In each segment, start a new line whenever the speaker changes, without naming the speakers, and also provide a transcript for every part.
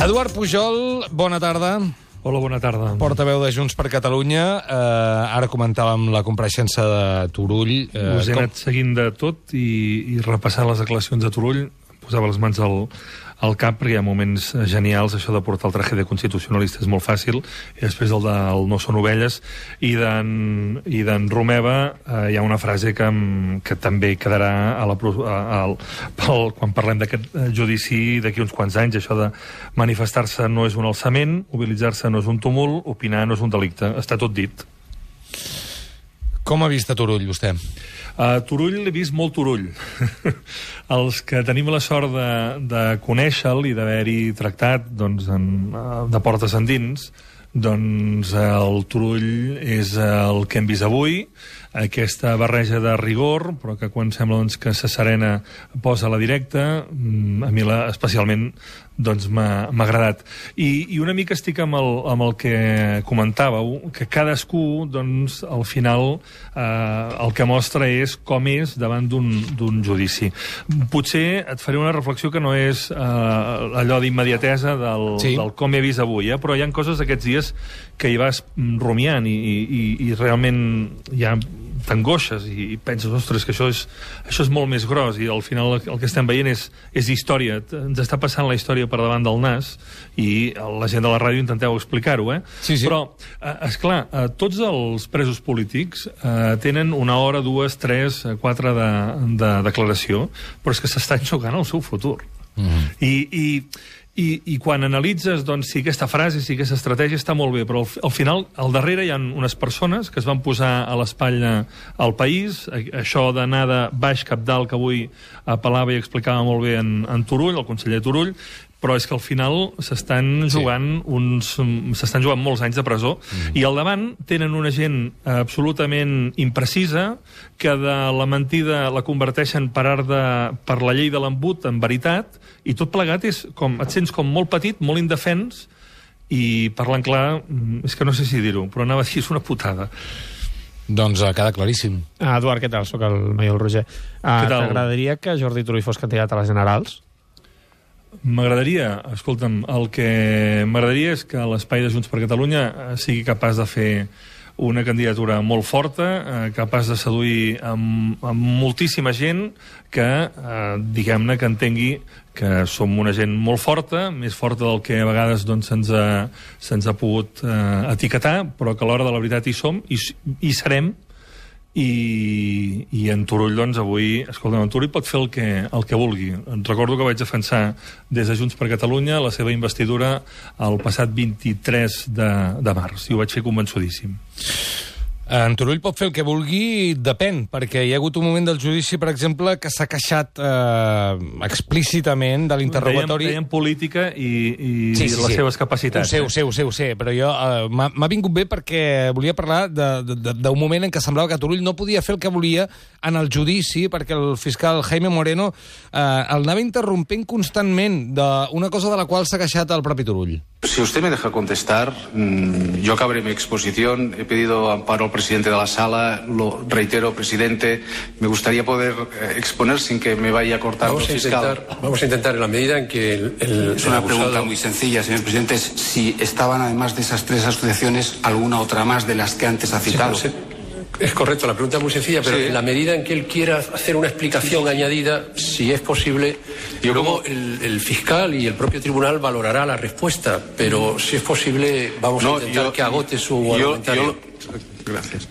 Eduard Pujol, bona tarda.
Hola, bona tarda.
Portaveu de Junts per Catalunya. Ara comentàvem la compareixença de Turull.
Us he anat seguint de tot i repassant les declaracions de Turull. Posava les mans al cap, perquè hi ha moments genials. Això de portar el traje de constitucionalista és molt fàcil, i després el del no són ovelles. I d'en Romeva hi ha una frase que també quedarà quan parlem d'aquest judici d'aquí uns quants anys. Això de manifestar-se no és un alçament, mobilitzar-se no és un tumult, opinar no és un delicte. Està tot dit.
Com ha vist a Turull, vostè?
Turull l'he vist molt Turull. Els que tenim la sort de conèixer-lo i d'haver-hi tractat de portes endins, doncs el Turull és el que hem vist avui, aquesta barreja de rigor, però que quan sembla que s'asserena posa a la directa. A mi especialment m'ha agradat. I una mica estic amb el que comentàveu, que cadascú, al final, el que mostra és com és davant d'un judici. Potser et faré una reflexió que no és allò d'immediatesa del com he vist avui, però hi ha coses aquests dies que hi vas rumiant i realment hi ha t'angoixes i penses, ostres, que això és molt més gros, i al final el que estem veient és història. Ens està passant la història per davant del nas i la gent de la ràdio intenteu explicar-ho,
Sí.
Però, esclar, tots els presos polítics tenen 1 hora, 2, 3, 4 de declaració, però és que s'estan jugant el seu futur. I quan analitzes si aquesta frase, si aquesta estratègia està molt bé, però al final, al darrere hi ha unes persones que es van posar a l'espatlla al país, això d'anar de baix cap dalt, que avui apel·lava i explicava molt bé en Turull, el conseller Turull, però és que al final s'estan jugant molts anys de presó, i al davant tenen una gent absolutament imprecisa, que de la mentida la converteixen per la llei de l'embut en veritat, i tot plegat et sents com molt petit, molt indefens, i parlant clar, és que no sé si dir-ho, però anava a dir, és una putada.
Doncs queda claríssim.
Eduard, què tal? Soc el Maiol Roger. T'agradaria que Jordi Turull fos candidat a les generals?
M'agradaria, escolta'm, el que m'agradaria és que l'espai de Junts per Catalunya sigui capaç de fer una candidatura molt forta, capaç de seduir amb moltíssima gent que, diguem-ne, que entengui que som una gent molt forta, més forta del que a vegades se'ns ha pogut etiquetar, però que a l'hora de la veritat hi som, i serem. I en Turull, avui, escolta'm, en Turull pot fer el que vulgui. Recordo que vaig defensar des de Junts per Catalunya la seva investidura el passat 23 de març, i ho vaig fer convençudíssim.
En Turull pot fer el que vulgui, depèn, perquè hi ha hagut un moment del judici, per exemple, que s'ha queixat explícitament de l'interrogatori.
Deien política i les seves capacitats.
Ho sé, però jo m'ha vingut bé perquè volia parlar d'un moment en què semblava que Turull no podia fer el que volia en el judici, perquè el fiscal Jaime Moreno el anava interrompent constantment d'una cosa de la qual s'ha queixat el propi Turull.
Si usted me deja contestar, yo acabaré mi exposición. He pedido amparo al presidente de la sala. Lo reitero, presidente, me gustaría poder exponer sin que me vaya a cortar el fiscal.
Vamos a intentar, en la medida en que
Es una pregunta muy sencilla, señor presidente, es si estaban, además de esas 3 asociaciones, alguna otra más de las que antes ha citado.
Sí, es correcto, la pregunta es muy sencilla, pero en la medida en que él quiera hacer una explicación añadida, si es posible, luego el fiscal y el propio tribunal valorará la respuesta, pero si es posible, vamos a intentar que agote su argumentario.
Gracias.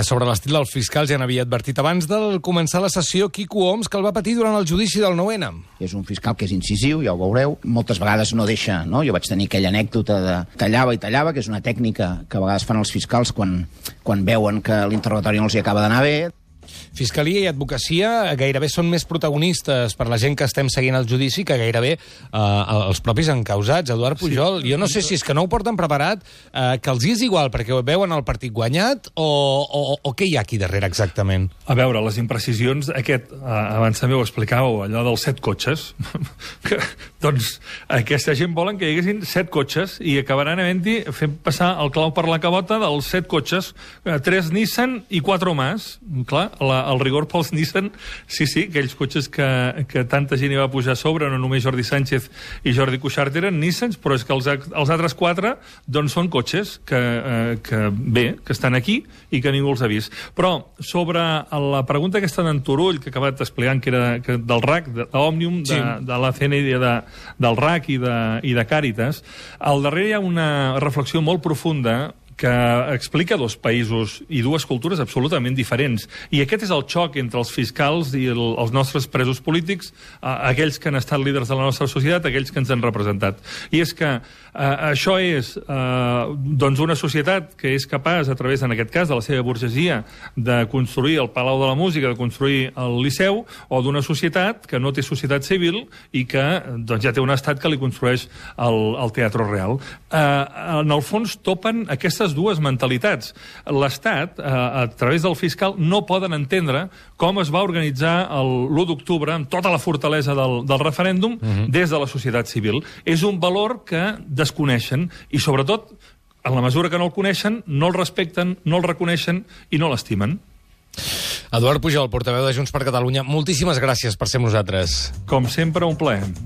Sobre l'estil del fiscal ja n'havia advertit abans de començar la sessió Quico Homs, que el va patir durant el judici del 9-N.
És un fiscal que és incisiu, ja ho veureu. Moltes vegades no deixa, no? Jo vaig tenir aquella anècdota de tallava i tallava, que és una tècnica que a vegades fan els fiscals quan veuen que l'interrogatori no els hi acaba d'anar bé.
Fiscalia i advocacia gairebé són més protagonistes per la gent que estem seguint el judici que gairebé els propis encausats. Eduard Pujol, jo no sé si és que no ho porten preparat, que els hi és igual perquè veuen el partit guanyat o què hi ha aquí darrere exactament?
A veure, les imprecisions, abans també ho explicàveu, allò dels 7 cotxes, doncs aquesta gent volen que hi haguessin 7 cotxes i acabaran havent-hi fent passar el clau per la cabota dels 7 cotxes, 3 Nissan i 4 más. Clar, el rigor pels Nissan, sí, aquells cotxes que tanta gent hi va pujar a sobre, no només Jordi Sánchez i Jordi Cuixart eren Nissans, però és que els altres 4 doncs són cotxes que estan aquí i que ningú els ha vist. Però sobre la pregunta aquesta d'en Turull, que ha acabat explicant que era del RAC, d'Òmnium, de la CNI, del RAC i de Càritas, al darrere hi ha una reflexió molt profunda que explica 2 països i 2 cultures absolutament diferents. I aquest és el xoc entre els fiscals i els nostres presos polítics, aquells que han estat líders de la nostra societat, aquells que ens han representat. I és que això és doncs una societat que és capaç, a través, en aquest cas, de la seva burgesia, de construir el Palau de la Música, de construir el Liceu, o d'una societat que no té societat civil i que doncs, ja té un estat que li construeix el Teatre Real. En el fons topen aquestes 2 mentalitats. L'Estat, a través del fiscal, no poden entendre com es va organitzar l'1 d'octubre amb tota la fortalesa del referèndum des de la societat civil. És un valor que desconeixen i, sobretot, en la mesura que no el coneixen, no el respecten, no el reconeixen i no l'estimen.
Eduard Pujol, portaveu de Junts per Catalunya, moltíssimes gràcies per ser amb nosaltres.
Com sempre, un plaer.